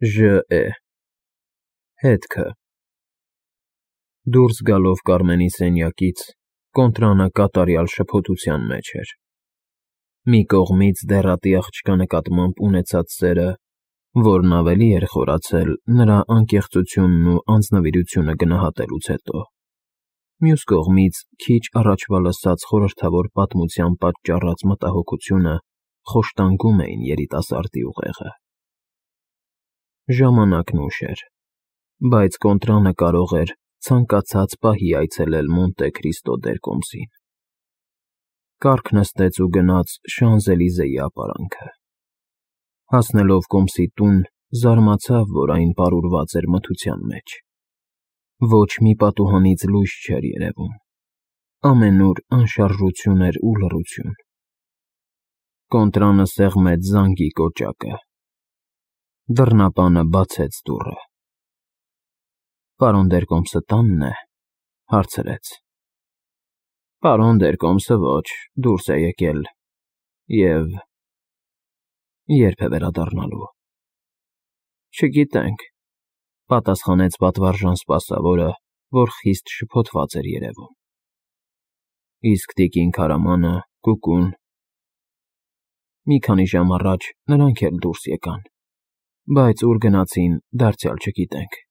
Ժ.Է. Հետքը Դուրս գալով Կարմենի սենյակից, Կոնտրանը կատարյալ շփոթության մեջ էր. մի կողմից դեռատի աղջկա նկատմամբ ունեցած սերը, որն ավելի էր խորացել նրա անկեղծությունն ու անձնվիրությունը գնահատելուց հետո, մյուս կողմից քիչ առաջվա լսած խորհրդավոր պատմության պատճառած մտահոգությունը խոշտանգում էին երիտասարդի ուղեղը։ Ժամանակն ուշ էր, բայց Կոնտրանը կարող էր ցանկացած պահի այցելել Մոնտե Քրիստո դերկոմսին։ Կառք նստեց ու գնաց Շանզելիզեի ապարանքը։ Հասնելով կոմսի տուն, զարմացավ, որ այն պարուրված էր մթության մեջ։ Ոչ մի պատուհանից լույս չէր երևում, ամենուր անշարժություն էր ու լռություն։ Կոնտրանը սեղմեց զանգի կոճակը։ Դռնապանը բացեց դուռը։ Պարոն դերկոմսը տանն է, հարցրեց։ Պարոն դերկոմսը ոչ, դուրս է եկել և երբ է վերադառնալու։ Չգիտենք, պատասխանեց պատվարժան սպասավորը, որ խիստ շփոթված էր երևում։ Իսկ տիկին Քարամանը, Կուկուն։ Մի քանի ժամ առաջ նրանք էլ դուրս եկան, բայց ուր գնացին, դարձյալ չգիտենք։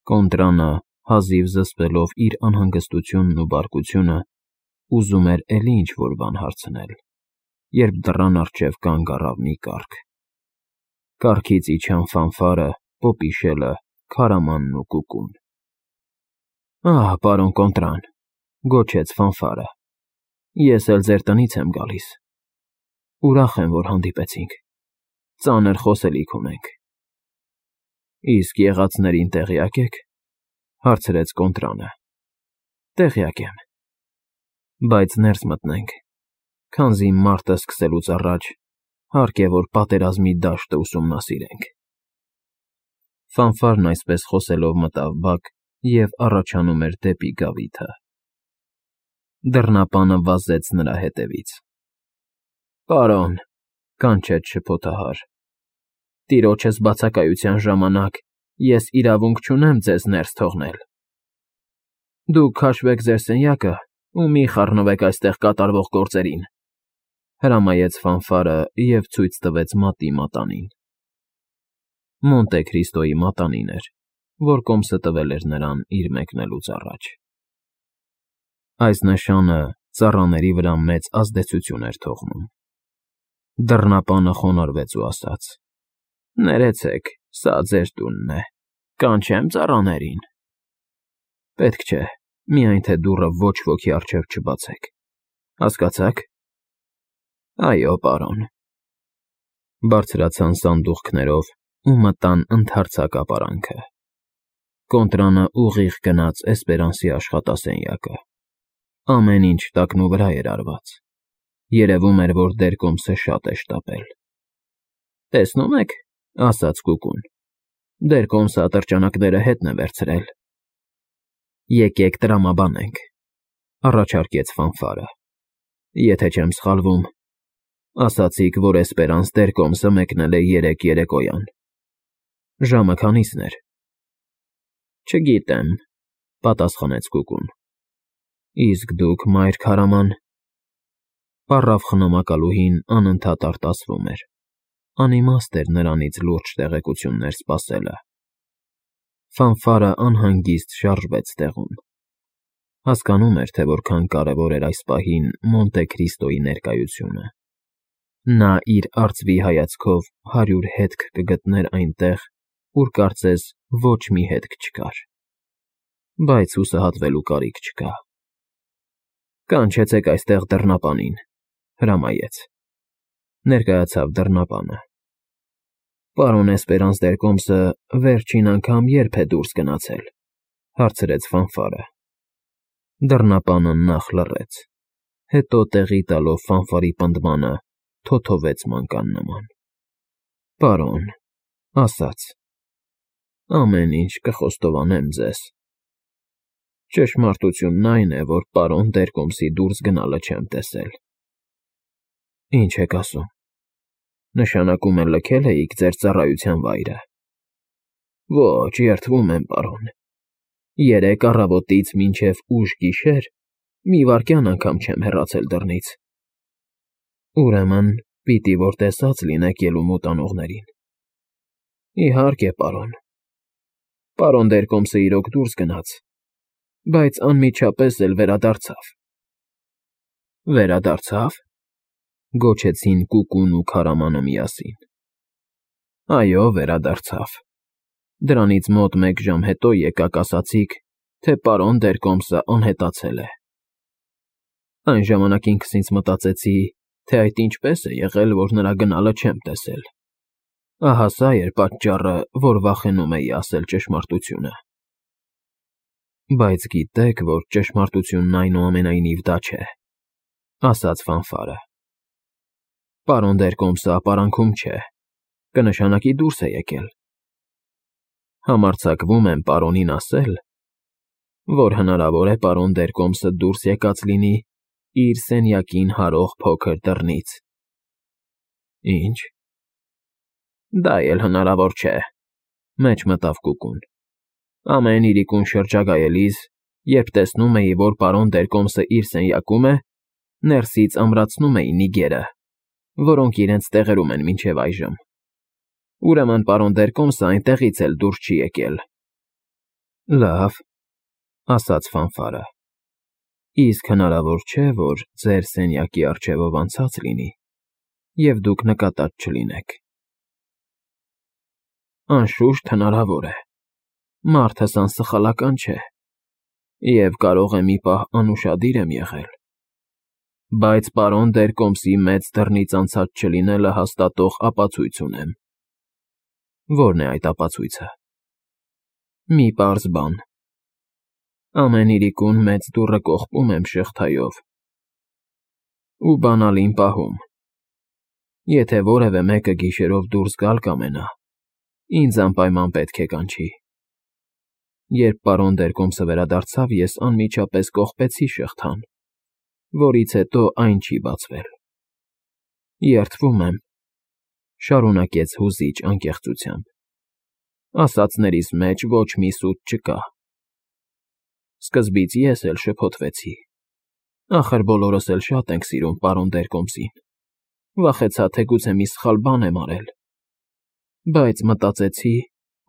Կոնտրանը, հազիվ զսպելով իր անհանգստությունն ու բարկությունը, ուզում էր էլի ինչ-որ բան հարցնել, երբ դռան առջև կանգ առավ մի կառք։ Կառքից իջան Ֆանֆարը, Պոպիշելը, Քարամանն ու Կուկուն։ Ահ, պարոն Կոնտրան, գոչեց Ֆանֆարը, ես էլ ձեր տնից եմ գալիս։ Ուրախ եմ, որ հանդիպեցինք, ծանր խոսելիք ունենք։ Իսկ եղածներին տեղյակ եք, հարցրեց Կոնտրանը։ Տեղյակ եմ, բայց ներս մտնենք, քանզի մարտը սկսելուց առաջ հարկ է, որ պատերազմի դաշտը ուսումնասիրենք։ Ֆանֆարն այսպես խոսելով մտավ բակ և առաջանում էր դեպի գավիթը։ Դռնապանը վազեց նրա հետևից։ Պարոն, կանչեց շփոթահար, տիրոջս բացակայության ժամանակ ես իրավունք չունեմ ձեզ ներս թողնել։ Դուք քաշվեք ձեր սենյակը ու մի խառնվեք այստեղ կատարվող գործերին, հրամայեց Ֆանֆարը և ցույց տվեց մատի մատանին։ Մոնտե Քրիստոյի մատանին էր, որ կոմսը տվել էր նրան իր մեկնելուց առաջ։ Այս նշանը ծառաների վրա մեծ ազդեցություն էր թողնում։ Դռնապանը խոնարհվեց ու ասաց. Ներեցեք, սա ձեր տունն է, կանչեմ ծառաներին։ Պետք չէ, միայն թե դուռը ոչ ոքի առջև չբացեք, հասկացա՞ք։ Այո, պարոն։ Բարձրացան սանդուղքներով ու մտան ընդարձակ ապարանքը։ Կոնտրանը ուղիղ գնաց Էսպերանսի աշխատասենյակը։ Ամեն ինչ տակնու վրա էր արված։ Երևում էր, որ դերկոմսը շատ է շտապել։ Տեսնում եք, ասաց Կուկուն, դերկոմսը ատրճանակները հետն է վերցրել։ Եկեք տրամաբանենք, առաջարկեց Ֆանֆարը։ Եթե չեմ սխալվում, ասացիք, որ Էսպերանս դերկոմսը մեկնել է 3 երեկոյան։ Ժամը քանիսն էր։ Չգիտեմ, պատասխանեց Կուկուն։ Իսկ դուք, մայր Քարաման։ Պառավ խնամակալուհին անընդհատ արտասվում էր։ Անիմաստ էր նրանից լուրջ տեղեկություններ սպասելը։ Ֆանֆարը անհանգիստ շարժվեց տեղում։ Հասկանում էր, թե որքան կարևոր էր այս պահին Մոնտե Քրիստոյի ներկայությունը։ Նա իր արծվի հայացքով 100 հետք կգտներ այնտեղ, ուր կարծես ոչ մի հետք չկար։ Բայց հուսահատվելու կարիք չկա։ Կանչեցեք այստեղ դռնապանին, հրամայեց։ Ներկայացավ դռնապանը։ Պարոն Էսպերանս դերկոմսը վերջին անգամ երբ է դուրս գնացել, հարցրեց Ֆանֆարը։ Դռնապանը նախ լռեց, հետո տեղի տալով Ֆանֆարի պնդմանը, թոթովեց մանկան նման։ Պարոն, ասաց. ամեն ինչ կխոստովանեմ ձեզ։ Ճշմարտությունն այն է, որ պարոն դերկոմսի դուրս գնալը չեմ տեսել։ Ինչ եք ասում։ Նշանակում է լքել էիք ձեր ծառայության վայրը։ Ոչ, երդվում եմ, պարոն։ 3 առավոտից մինչև ուշ գիշեր մի վայրկյան անգամ չեմ հեռացել դռնից։ Ուրեմն, պիտի որ տեսած լինեք ելումուտ անողներին։ Իհարկե, պարոն։ Պարոն Դերկոմսը իրոք դուրս գնաց, բայց անմիջապես էլ վերադարձավ։ Վերադարձավ,֊ գոչեցին Կուկուն ու քարամանը միասին։ Այո, վերադարձավ։ Դրանից մոտ 1 ժամ հետո եկաք ասացիք, թե պարոն Դերկոմսը անհետացել է։ Այն ժամանակ ինքս ինձ մտածեցի, թե այդ ինչպես է եղել, որ նրա գնալը չեմ տեսել։ Ահա սա էր պատճառը, որ վախենում էի ասել ճշմարտությունը։ Բայց գիտեք, որ ճշմարտությունն այնուամենայնիվ դա չէ,֊ ասաց Ֆանֆարը։ Պարոն Դերկոմսը ապարանքում չէ, կնշանակի դուրս է եկել։ Համարձակվում եմ պարոնին ասել, որ հնարավոր է պարոն Դերկոմսը դուրս եկած լինի իր սենյակին հարող փոքր դռնից։ Ինչ։ Դա էլ հնարավոր չէ,֊ մեջ մտավ Կուկուն։ Ամեն իրիկուն շրջագայելիս, երբ տեսնում էի, որ պարոն Դերկոմսը իր սենյակում է, ներսից ամրացնում էի նիգերը, որոնք իրենց տեղերում են մինչև այժմ։ Ուրեմն պարոն Դերկոմսը այնտեղից էլ դուրս չի եկել։ Լավ,֊ ասաց Ֆանֆարը։ Իսկ հնարավոր չէ, որ ձեր սենյակի առջևով անցած լինի, և դուք նկատած չլինեք։ Անշուշտ հնարավոր է։ Մարդս անսխալական չէ, և կարող է մի պահ անուշադիր եմ եղել։ Բայց պարոն Դերկոմսի մեծ դռնից անցած չլինելը հաստատող ապացույց ունեմ։ Ո՞րն է այդ ապացույցը։ Մի պարզ բան։ Ամեն իրիկուն մեծ դուռը կողպում եմ շղթայով ու բանալին պահում։ Եթե որևէ մեկը գիշերով դուրս գալ կամենա, ինձ անպայման պետք է կանչի։ Երբ պարոն Դերկոմսը վերադարձավ, ես անմիջապես կողպեցի շղթան, որից հետո այն չի բացվել։ Երդվում եմ,֊ շարունակեց հուզիչ անկեղծությամբ։ Ասածներիս մեջ ոչ մի սուտ չկա։ Սկզբից ես էլ շփոթվեցի։ Ախր բոլորս էլ շատ ենք սիրում պարոն Դերկոմսին։ Վախեցա, թե գուցե մի սխալ բան եմ արել։ Բայց մտածեցի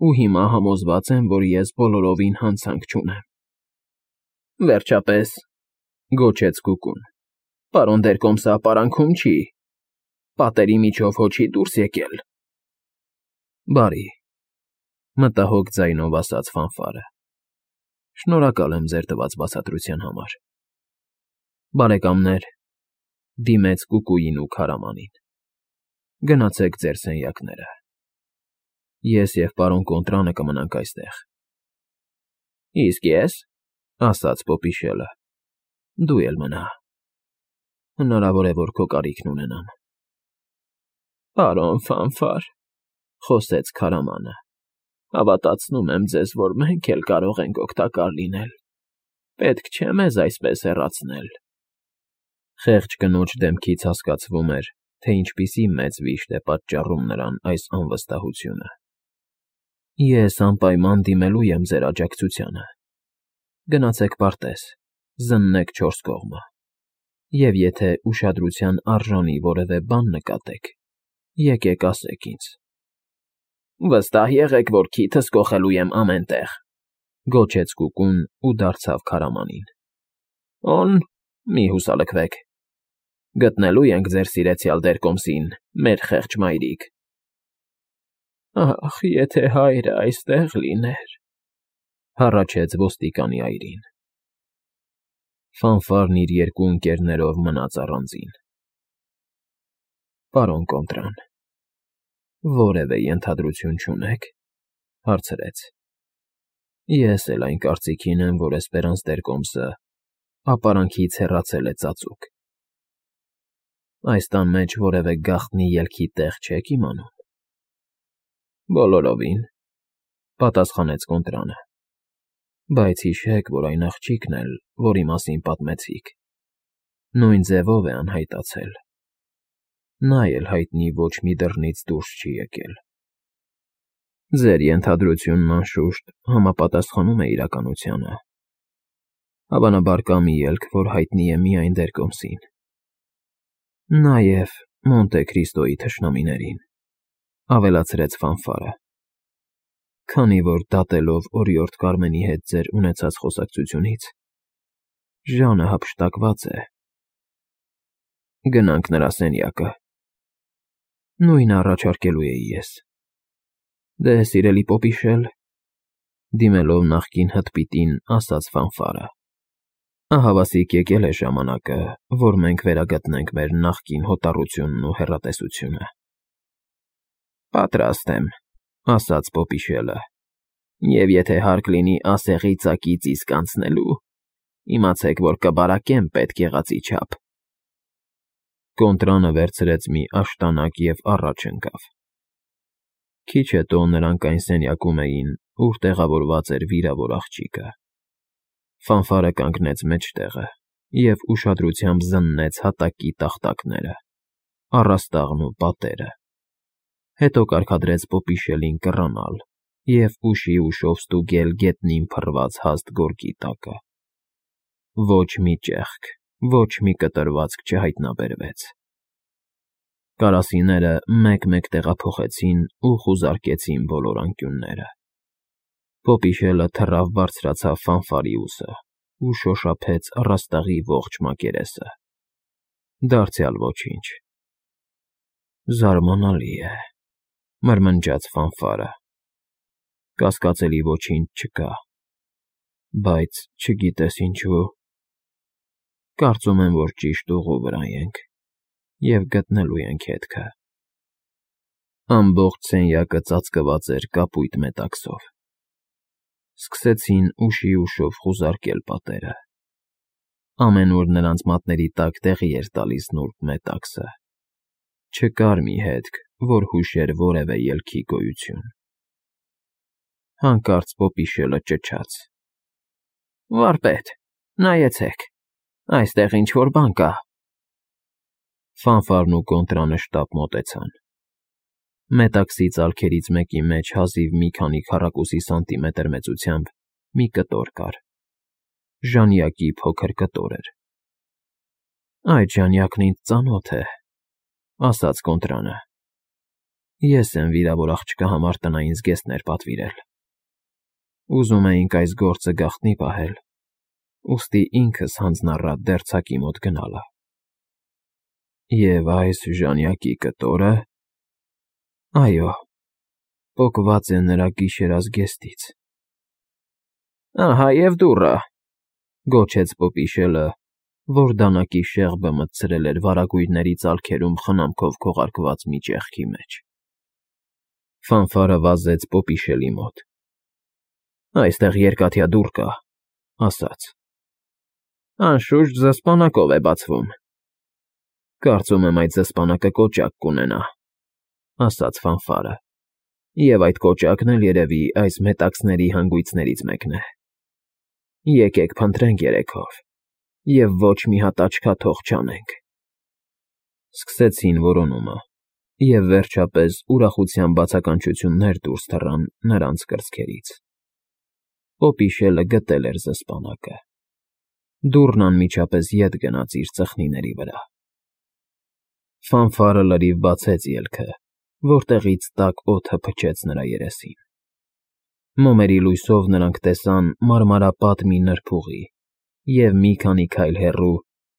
ու հիմա համոզված եմ, որ ես բոլորովին հանցանք չունեմ։ Վերջապես,֊ գոչեց Կուկուն,֊ պարոն Դերկոմսը ապարանքում չի։ Պատերի միջով հո չի դուրս եկել։ Բարի,֊ մտահոգ ձայնով ասաց Ֆանֆարը։ Շնորհակալ եմ ձեր տված բացատրության համար։ Բարեկամներ,֊ դիմեց Կուկուին ու քարամանին,֊ գնացեք ձեր սենյակները։ Ես և պարոն Կոնտրանը կմնանք այստեղ։ Իսկ ես,֊ ասաց Պոպիշելը,֊ դու էլ մնա։ Հնարավոր է, որ քո կարիքն ունենամ։ Պարոն Ֆանֆար,֊ խոսեց քարամանը,֊ հավատացնում եմ ձեզ, որ մենք էլ կարող ենք օգտակար լինել։ Պետք չէ մեզ այսպես հեռացնել։ Խեղճ կնոջ դեմքից հասկացվում էր, թե ինչպիսի մեծ վիշտ է պատճառում նրան այս անվստահությունը։ Ես անպայման դիմելու եմ ձեր աջակցությանը։ Գնացեք պարտեզ, զննեք 4 կողմը, և եթե ուշադրության արժանի որևէ բան նկատեք, եկեք ասեք ինձ։ Վստահ եղեք, որ քիթս կոխելու եմ ամեն տեղ,֊ գոչեց Կուկուն ու դարձավ քարամանին։ Օն, մի հուսալքվեք։ Գտնելու ենք ձեր սիրեցյալ Դերկոմսին, մեր խեղճ մայրիկ։ Ախ, եթե հայրը այստեղ լիներ,֊ հառաչեց ոստիկանի այրին։ Ֆանֆարն իր 2 ընկերներով մնաց առանձին։ Պարոն Կոնտրան, որևէ ենթադրություն չունե՞ք,֊ հարցրեց։ Ես էլ այն կարծիքին եմ, որ Էսպերանս Դերկոմսը ապարանքից հեռացել է ծածուկ։ Այս տան մեջ որևէ գաղտնի ելքի տեղ չեք իմանում։ Բոլորովին,֊ պատասխանեց Կոնտրանը։ Բայց հիշեք, որ այն աղջիկն էլ, որի մասին պատմեցիք, նույն ձևով է անհայտացել։ նա էլ հայտնի ոչ մի դռնից դուրս չի եկել։ Ձեր ենթադրությունն անշուշտ համապատասխանում է իրականությանը։ Հավանաբար կա մի ելք, որ հայտնի է միայն Դերկոմսին։ Նաև Մոնտե Քրիստոյի թշնամիներին, ավելացրեց Ֆանֆարը։ Քանի որ դատելով օրիորդ Կարմենի հետ ձեր ունեցած խոսակցությունից, Ժանը հափշտակված է։ Գնանք նրա սենյակը։ Նույնը առաջարկելու էի ես։ Դե, սիրելի Պոպիշել, դիմելով նախկին հտպիտին, ասաց Ֆանֆարը։ Ահավասիկ եկել է ժամանակը, որ մենք վերագտնենք մեր նախկին հոտառությունն ու հեռատեսությունը։ Պատրաստ եմ, ասաց Պոպիշելը, և եթե հարկ լինի ասեղի ծակից իսկ անցնելու, իմացեք, որ կբարակեմ պետք եղածի չափ։ Կոնտրանը վերցրեց մի աշտանակ և առաջ ընկավ։ Քիչ հետո նրանք այն սենյակում էին, ուր տեղավորված էր վիրավոր աղջիկը։ Ֆանֆարը կանգնեց մեջտեղը և ուշադրությամբ զննեց հատակի տախտակները, առաստաղն ու պատերը։ Հետո կարգադրեց Պոպիշելին կռանալ և ուշի ուշով ստուգել գետնին փռված հաստ գորգի տակը։ Ոչ մի ճեղք, ոչ մի կտրվածք չհայտնաբերվեց։ Կարասիները մեկ-մեկ տեղափոխեցին ու խուզարկեցին բոլոր անկյունները։ Պոպիշելը թռավ բարձրացավ Ֆանֆարի ուսը ու շոշափեց առաստաղի ողջ մակերեսը։ Դարձյալ ոչինչ։ Զարմանալի է, մրմնջաց Ֆանֆարը։ Կասկածելի ոչինչ չկա, բայց չգիտես ինչու։ Կարծում եմ, որ ճիշտ ուղու վրա ենք և գտնելու ենք հետքը։ Ամբողջ սենյակը ծածկված էր կապույտ մետաքսով։ Սկսեցին ուշի ուշով խուզարկել պատերը։ Ամենուր նրանց մատների տակ տեղի էր տալիս նուրբ մետաքսը։ Չկար մի հետք, որ հուշեր որևէ ելքի գոյություն։ Հանկարծ Պոպիշելը ճչաց. Վարպետ, նայեցեք, այստեղ ինչ-որ բան կա։ Ֆանֆարն ու Կոնտրանը շտապ մոտեցան։ Մետաքսի ծալքերից մեկի մեջ հազիվ մի քանի քառակուսի սանտիմետր մեծությամբ մի կտոր կար։ Ժանյակի փոքր կտոր էր։ Այդ ժանյակն ինձ ծանոթ է, ասաց Կոնտրանը։ Ես եմ վիրավոր աղջկա համար տնային զգեստներ պատվիրել։ Ուզում էինք այս գործը գաղտնի պահել, ուստի ինքս հանձնառա դերձակի մոտ գնալը։ Եվ այս ժանյակի կտորը… Այո, պոկված է նրա գիշերազգեստից։ Ահա և դուռը, գոչեց Պոպիշելը, որ դանակի շեղբը մտցրել էր վարագույրների ծալքերում խնամքով քողարկված մի ճեղքի մեջ։ Ֆանֆարը վազեց Պոպիշելի մոտ։ Այստեղ երկաթյա դուռ կա, ասաց։ Անշուշտ զսպանակով է բացվում։ Կարծում եմ այդ զսպանակը կոճակ կունենա, ասաց Ֆանֆարը, և այդ կոճակն էլ երևի այս մետաքսների հանգույցներից մեկն է։ Եկեք փնտրենք երեքով և ոչ մի հատ աչքաթող չանենք։ Սկսեցին որոնումը, և վերջապես ուրախության բացականչություններ դուրս թռան նրանց կրծքերից։ Պոպիշելը գտել էր զսպանակը։ Դուռն անմիջապես ետ գնաց իր ծխնիների վրա։ Ֆանֆարը լրիվ բացեց ելքը, որտեղից տաք օդը փչեց նրա երեսին։ Մոմերի լույսով նրանք տեսան մարմարապատ մի նրբուղի և մի քանի քայլ հեռու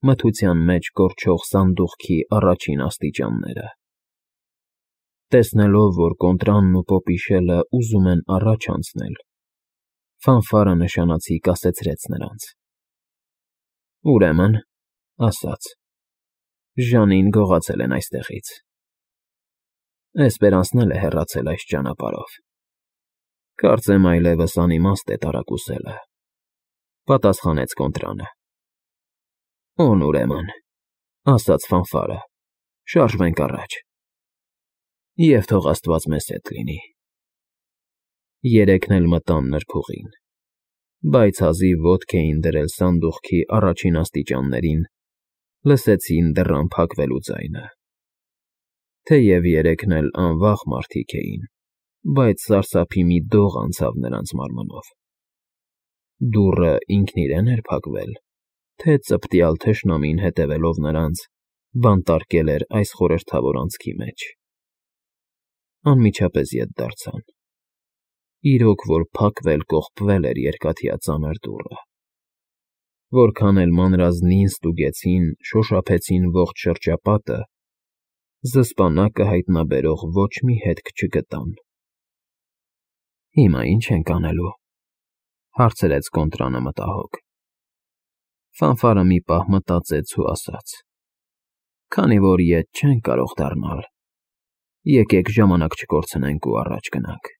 մթության մեջ կորչող սանդուղքի առաջին աստիճանները։ Տեսնելով, որ Կոնտրանն ու Պոպիշելը ուզում են առաջ անցնել, Ֆանֆարը նշանացի կասեցրեց նրանց։ Ուրեմն, ասաց, Ժանին գողացել են այստեղից։ Էսպերանսն էլ է հեռացել այս ճանապարհով։ Կարծեմ այլևս անիմաստ է տարակուսելը, պատասխանեց Կոնտրանը։ Օն ուրեմն, ասաց Ֆանֆարը, շարժվենք առաջ։ Եվ թող Աստված մեզ հետ լինի։ Երեքն էլ մտան նրբուղին, բայց հազիվ ոտք էին դրել սանդուղքի առաջին աստիճաններին, լսեցին դռան փակվելու ձայնը։ Թեև երեքն էլ անվախ մարդիկ էին, բայց սարսափի մի դող անցավ նրանց մարմնով։ Դուռը ինքն իրեն էր փակվել, թե ծպտյալ թշնամին հետևելով նրանց, բանտարկել էր այս խորհրդավոր անցքի մեջ։ Անմիջապես ետ դարձան։ Իրոք որ փակվել֊կողպվել էր երկաթյա ծանր դուռը։ Որքան էլ մանրազնին ստուգեցին, շոշափեցին ողջ շրջապատը, զսպանակը հայտնաբերող ոչ մի հետք չգտան։ «Հիմա ի՞նչ ենք անելու,֊ հարցրեց Կոնտրանը մտահոգ։ Ֆանֆարը մի պահ մտածեց ու ասաց. «Քանի որ ետ չենք կարող դառնալ, եկեք ժամանակ չկորցնենք ու առաջ գնանք։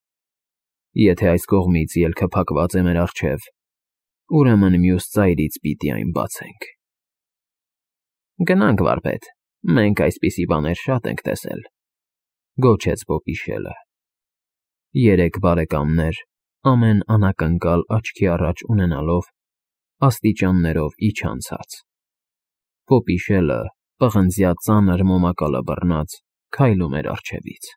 Եթե այս կողմից ելքը փակված է մեր առջև, ուրեմն մյուս ծայրից պիտի այն բացենք»։ «Գնանք, վարպետ, մենք այսպիսի բաներ շատ ենք տեսել,֊ գոչեց Պոպիշելը։ Երեք բարեկամներ, ամեն անակնկալ աչքի առաջ ունենալով, աստիճաններով իջան ցած։ Պոպիշելը, պղնձյա ծանր մոմակալը բռնած, քայլում էր առջևից։